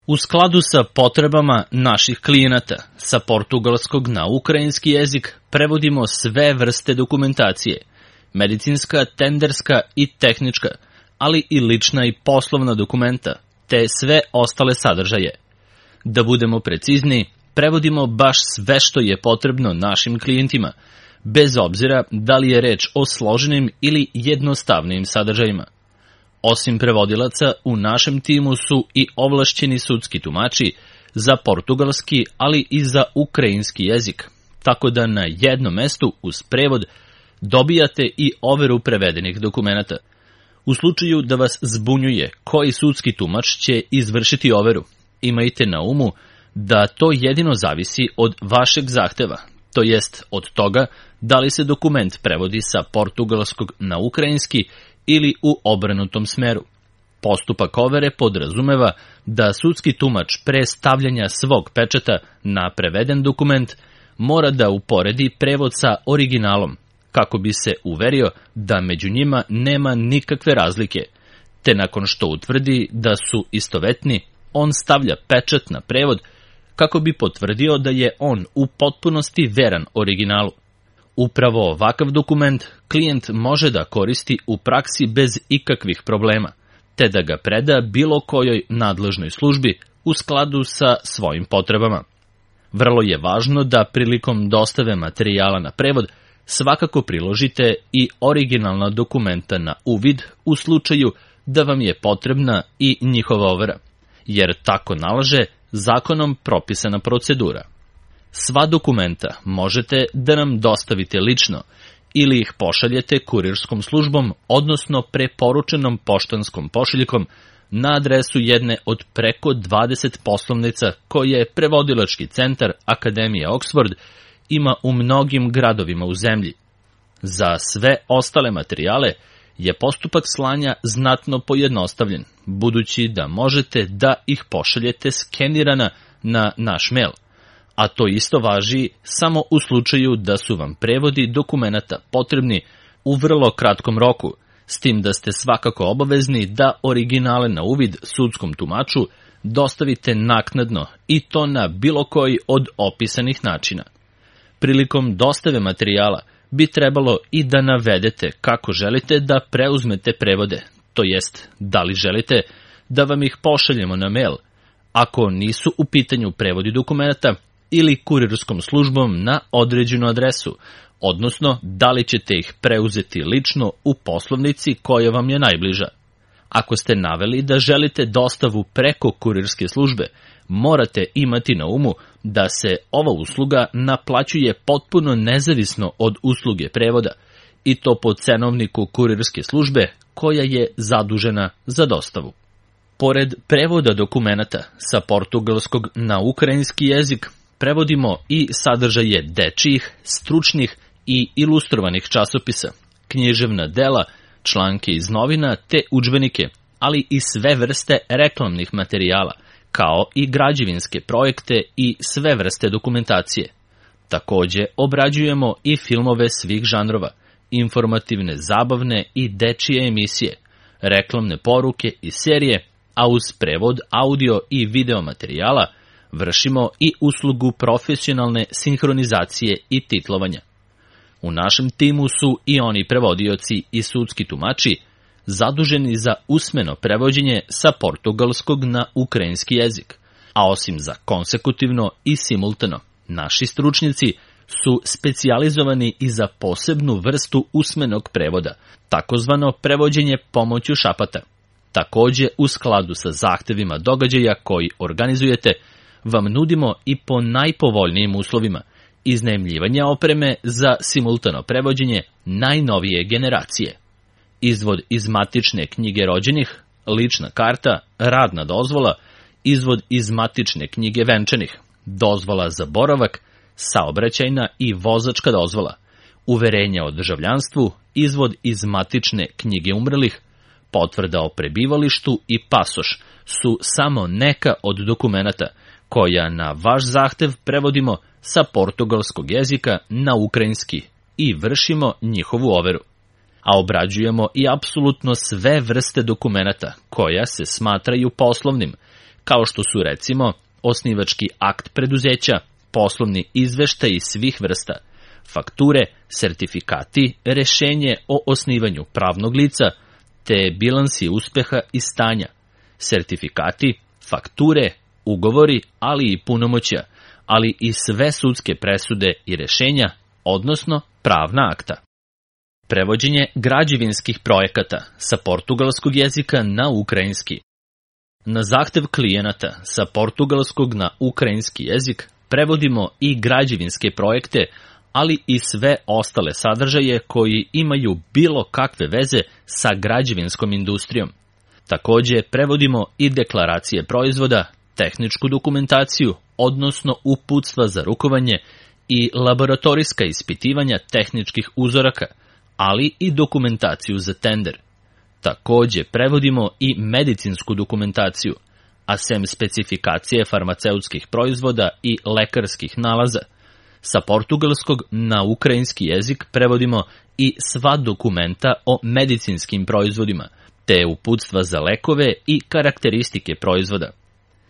U skladu sa potrebama naših klijenata, sa portugalskog na ukrajinski jezik prevodimo sve vrste dokumentacije, medicinska, tenderska i tehnička, ali i lična i poslovna dokumenta, te sve ostale sadržaje. Da budemo precizni, prevodimo baš sve što je potrebno našim klijentima, bez obzira da li je reč o složenim ili jednostavnim sadržajima. Osim prevodilaca, u našem timu su i ovlašćeni sudski tumači za portugalski, ali i za ukrajinski jezik, tako da na jednom mestu uz prevod dobijate i overu prevedenih dokumenata. U slučaju da vas zbunjuje koji sudski tumač će izvršiti overu, imajte na umu da to jedino zavisi od vašeg zahteva, to jest od toga da li se dokument prevodi sa portugalskog na ukrajinski ili u obrnutom smeru. Postupak overe podrazumeva da sudski tumač pre stavljanja svog pečata na preveden dokument mora da uporedi prevod sa originalom, kako bi se uverio da među njima nema nikakve razlike, te nakon što utvrdi da su istovetni, on stavlja pečat na prevod kako bi potvrdio da je on u potpunosti veran originalu. Upravo ovakav dokument klijent može da koristi u praksi bez ikakvih problema, te da ga preda bilo kojoj nadležnoj službi u skladu sa svojim potrebama. Vrlo je važno da prilikom dostave materijala na prevod svakako priložite i originalna dokumenta na uvid u slučaju da vam je potrebna i njihova overa, jer tako nalaže zakonom propisana procedura. Sva dokumenta možete da nam dostavite lično ili ih pošaljete kurirskom službom, odnosno preporučenom poštanskom pošiljkom na adresu jedne od preko 20 poslovnica koje Prevodilački centar Akademije Oxford ima u mnogim gradovima u zemlji. Za sve ostale materijale je postupak slanja znatno pojednostavljen, budući da možete da ih pošaljete skenirana na naš mail, a to isto važi samo u slučaju da su vam prevodi dokumenata potrebni u vrlo kratkom roku, s tim da ste svakako obavezni da originale na uvid sudskom tumaču dostavite naknadno i to na bilo koji od opisanih načina. Prilikom dostave materijala bi trebalo i da navedete kako želite da preuzmete prevode, to jest da li želite da vam ih pošaljemo na mail, ako nisu u pitanju prevodi dokumenata, ili kurirskom službom na određenu adresu, odnosno da li ćete ih preuzeti lično u poslovnici koja vam je najbliža. Ako ste naveli da želite dostavu preko kurirske službe, morate imati na umu da se ova usluga naplaćuje potpuno nezavisno od usluge prevoda, i to po cenovniku kurirske službe koja je zadužena za dostavu. Pored prevoda dokumenata sa portugalskog na ukrajinski jezik, prevodimo i sadržaje dečijih, stručnih i ilustrovanih časopisa, književna dela, članke iz novina te udžbenike, ali i sve vrste reklamnih materijala, kao i građevinske projekte i sve vrste dokumentacije. Takođe, obrađujemo i filmove svih žanrova, informativne, zabavne i dečije emisije, reklamne poruke i serije, a uz prevod audio i video materijala vršimo i uslugu profesionalne sinhronizacije i titlovanja. U našem timu su i oni prevodioci i sudski tumači zaduženi za usmeno prevođenje sa portugalskog na ukrajinski jezik, a osim za konsekutivno i simultano, naši stručnjaci su specijalizovani i za posebnu vrstu usmenog prevoda, takozvano prevođenje pomoću šapata. Takođe, u skladu sa zahtevima događaja koji organizujete, vam nudimo i po najpovoljnijim uslovima iznajmljivanja opreme za simultano prevođenje najnovije generacije. Izvod iz matične knjige rođenih, lična karta, radna dozvola, izvod iz matične knjige venčanih, dozvola za boravak, saobraćajna i vozačka dozvola, uverenja o državljanstvu, izvod iz matične knjige umrlih, potvrda o prebivalištu i pasoš su samo neka od dokumenata koja na vaš zahtev prevodimo sa portugalskog jezika na ukrajinski i vršimo njihovu overu. A obrađujemo i apsolutno sve vrste dokumenata koja se smatraju poslovnim, kao što su recimo osnivački akt preduzeća, poslovni izveštaji svih vrsta, fakture, sertifikati, rešenje o osnivanju pravnog lica, te bilansi uspeha i stanja, sertifikati, fakture, ugovori, ali i punomoćja, ali i sve sudske presude i rešenja, odnosno pravna akta. Prevođenje građevinskih projekata sa portugalskog jezika na ukrajinski. Na zahtev klijenata sa portugalskog na ukrajinski jezik prevodimo i građevinske projekte, ali i sve ostale sadržaje koji imaju bilo kakve veze sa građevinskom industrijom. Takođe, prevodimo i deklaracije proizvoda, tehničku dokumentaciju, odnosno uputstva za rukovanje i laboratorijska ispitivanja tehničkih uzoraka, ali i dokumentaciju za tender. Takođe, prevodimo i medicinsku dokumentaciju, a sem specifikacije farmaceutskih proizvoda i lekarskih nalaza. Sa portugalskog na ukrajinski jezik prevodimo i sva dokumenta o medicinskim proizvodima, te uputstva za lekove i karakteristike proizvoda.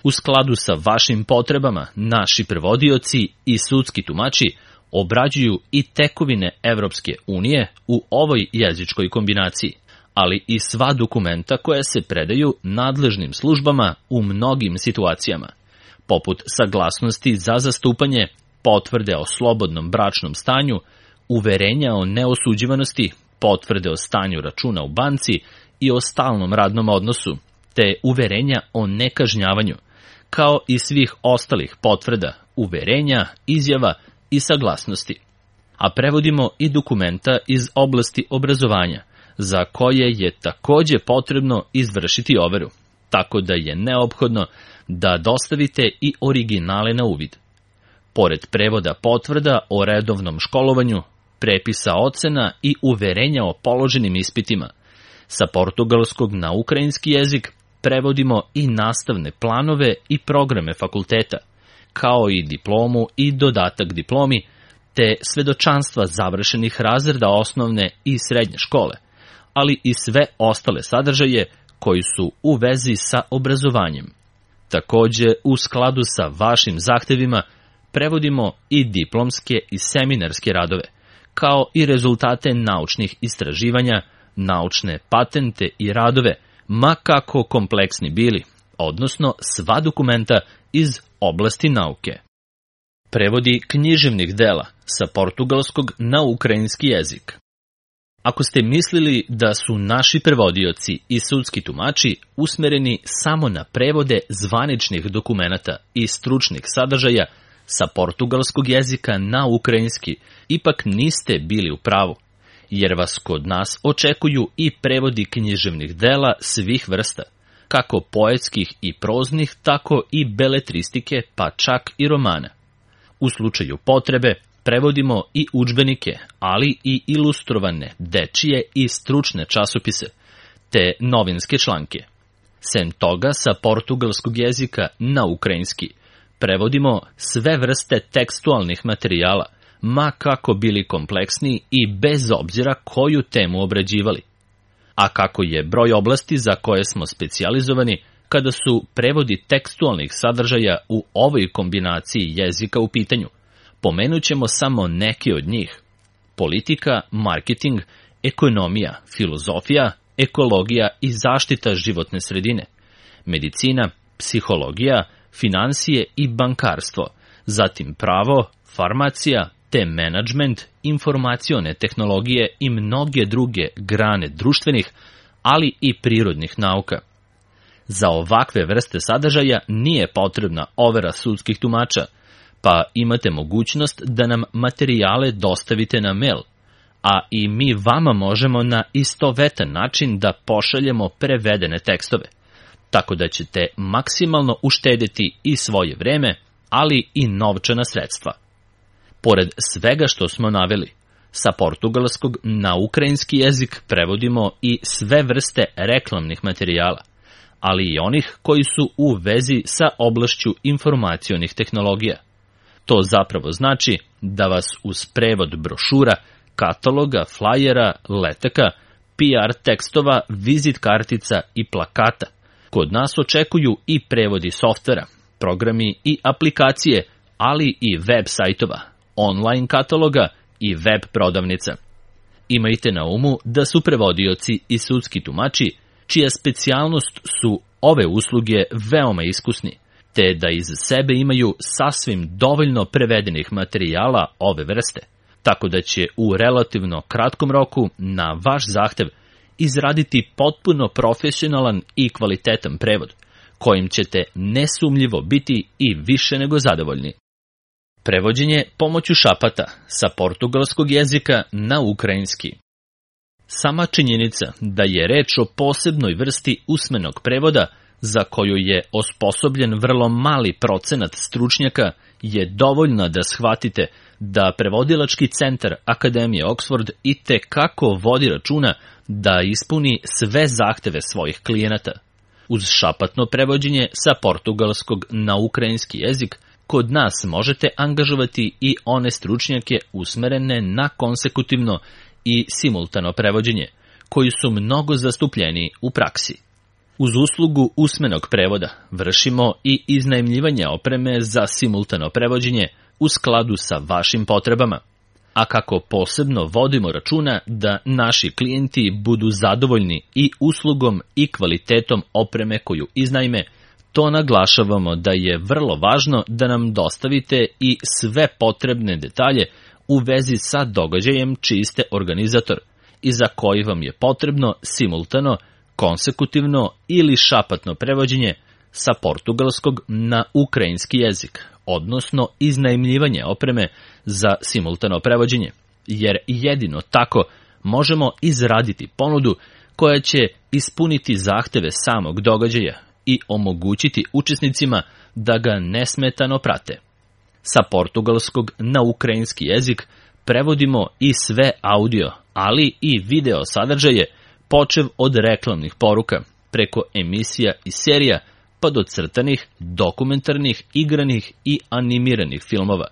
U skladu sa vašim potrebama, naši prevodioci i sudski tumači obrađuju i tekovine Evropske unije u ovoj jezičkoj kombinaciji, ali i sva dokumenta koja se predaju nadležnim službama u mnogim situacijama, poput saglasnosti za zastupanje, potvrde o slobodnom bračnom stanju, uverenja o neosuđivanosti, potvrde o stanju računa u banci i o stalnom radnom odnosu, te uverenja o nekažnjavanju, kao i svih ostalih potvrda, uverenja, izjava i saglasnosti. A prevodimo i dokumenta iz oblasti obrazovanja, za koje je takođe potrebno izvršiti overu, tako da je neophodno da dostavite i originale na uvid. Pored prevoda potvrda o redovnom školovanju, prepisa ocena i uverenja o položenim ispitima, sa portugalskog na ukrajinski jezik prevodimo i nastavne planove i programe fakulteta, kao i diplomu i dodatak diplomi, te svedočanstva završenih razreda osnovne i srednje škole, ali i sve ostale sadržaje koji su u vezi sa obrazovanjem. Takođe, u skladu sa vašim zahtevima, prevodimo i diplomske i seminarske radove, kao i rezultate naučnih istraživanja, naučne patente i radove, ma kako kompleksni bili, odnosno sva dokumenta iz oblasti nauke. Prevodi književnih dela sa portugalskog na ukrajinski jezik. Ako ste mislili da su naši prevodioci i sudski tumači usmereni samo na prevode zvaničnih dokumenata i stručnih sadržaja sa portugalskog jezika na ukrajinski, ipak niste bili u pravu, jer vas kod nas očekuju i prevodi književnih dela svih vrsta, kako poetskih i proznih, tako i beletristike, pa čak i romana. U slučaju potrebe, prevodimo i udžbenike, ali i ilustrovane, dečije i stručne časopise, te novinske članke. Sem toga, sa portugalskog jezika na ukrajinski, prevodimo sve vrste tekstualnih materijala, ma kako bili kompleksni i bez obzira koju temu obrađivali. A kako je broj oblasti za koje smo specijalizovani kada su prevodi tekstualnih sadržaja u ovoj kombinaciji jezika u pitanju, pomenut ćemo samo neke od njih: politika, marketing, ekonomija, filozofija, ekologija i zaštita životne sredine, medicina, psihologija, finansije i bankarstvo, zatim pravo, farmacija, te menadžment, informacione tehnologije i mnoge druge grane društvenih, ali i prirodnih nauka. Za ovakve vrste sadržaja nije potrebna overa sudskih tumača, pa imate mogućnost da nam materijale dostavite na mail, a i mi vama možemo na istovetan način da pošaljemo prevedene tekstove, tako da ćete maksimalno uštedeti i svoje vreme, ali i novčana sredstva. Pored svega što smo naveli, sa portugalskog na ukrajinski jezik prevodimo i sve vrste reklamnih materijala, ali i onih koji su u vezi sa oblašću informacionih tehnologija. To zapravo znači da vas uz prevod brošura, kataloga, flajera, letaka, PR tekstova, vizit kartica i plakata Kod nas očekuju i prevodi softvera, programi i aplikacije, ali i web sajtova, online kataloga i web prodavnica. Imajte na umu da su prevodioci i sudski tumači, čija specijalnost su ove usluge veoma iskusni, te da iz sebe imaju sasvim dovoljno prevedenih materijala ove vrste, tako da će u relativno kratkom roku na vaš zahtev izraditi potpuno profesionalan i kvalitetan prevod, kojim ćete nesumnjivo biti i više nego zadovoljni. Prevođenje pomoću šapata sa portugalskog jezika na ukrajinski. Sama činjenica da je reč o posebnoj vrsti usmenog prevoda za koju je osposobljen vrlo mali procenat stručnjaka je dovoljna da shvatite da prevodilački centar Akademije Oxford itekako vodi računa da ispuni sve zahteve svojih klijenata. Uz šapatno prevođenje sa portugalskog na ukrajinski jezik, kod nas možete angažovati i one stručnjake usmerene na konsekutivno i simultano prevođenje, koji su mnogo zastupljeni u praksi. Uz uslugu usmenog prevoda vršimo i iznajmljivanje opreme za simultano prevođenje u skladu sa vašim potrebama. A kako posebno vodimo računa da naši klijenti budu zadovoljni i uslugom i kvalitetom opreme koju iznajme, to naglašavamo da je vrlo važno da nam dostavite i sve potrebne detalje u vezi sa događajem čiji ste organizator i za koji vam je potrebno simultano, konsekutivno ili šapatno prevođenje sa portugalskog na ukrajinski jezik, odnosno iznajmljivanje opreme za simultano prevođenje, jer jedino tako možemo izraditi ponudu koja će ispuniti zahteve samog događaja i omogućiti učesnicima da ga nesmetano prate. Sa portugalskog na ukrajinski jezik prevodimo i sve audio, ali i video sadržaje, počev od reklamnih poruka, preko emisija i serija, pa do crtanih, dokumentarnih, igranih i animiranih filmova.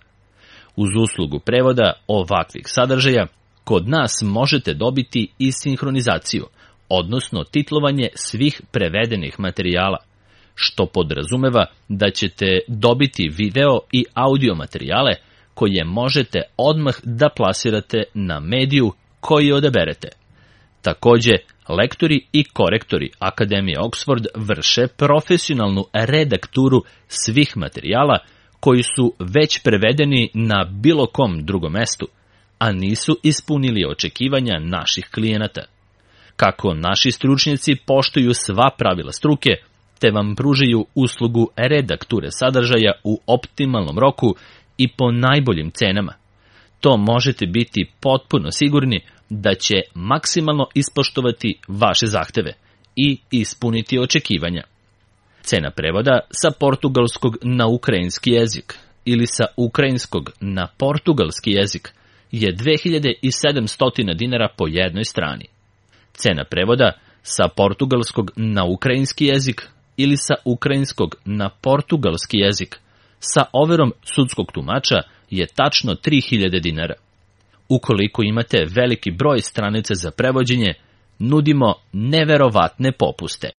Uz uslugu prevoda ovakvih sadržaja, kod nas možete dobiti i sinhronizaciju, odnosno titlovanje svih prevedenih materijala, što podrazumeva da ćete dobiti video i audio materijale koje možete odmah da plasirate na mediju koji odaberete. Takođe, lektori i korektori Akademije Oxford vrše profesionalnu redakturu svih materijala koji su već prevedeni na bilo kom drugom mestu, a nisu ispunili očekivanja naših klijenata. Kako naši stručnjaci poštuju sva pravila struke, te vam pružaju uslugu redakture sadržaja u optimalnom roku i po najboljim cenama. To možete biti potpuno sigurni da će maksimalno ispoštovati vaše zahteve i ispuniti očekivanja. Cena prevoda sa portugalskog na ukrajinski jezik ili sa ukrajinskog na portugalski jezik je 2700 dinara po jednoj strani. Cena prevoda sa portugalskog na ukrajinski jezik ili sa ukrajinskog na portugalski jezik sa overom sudskog tumača je tačno 3000 dinara. Ukoliko imate veliki broj stranica za prevođenje, nudimo neverovatne popuste.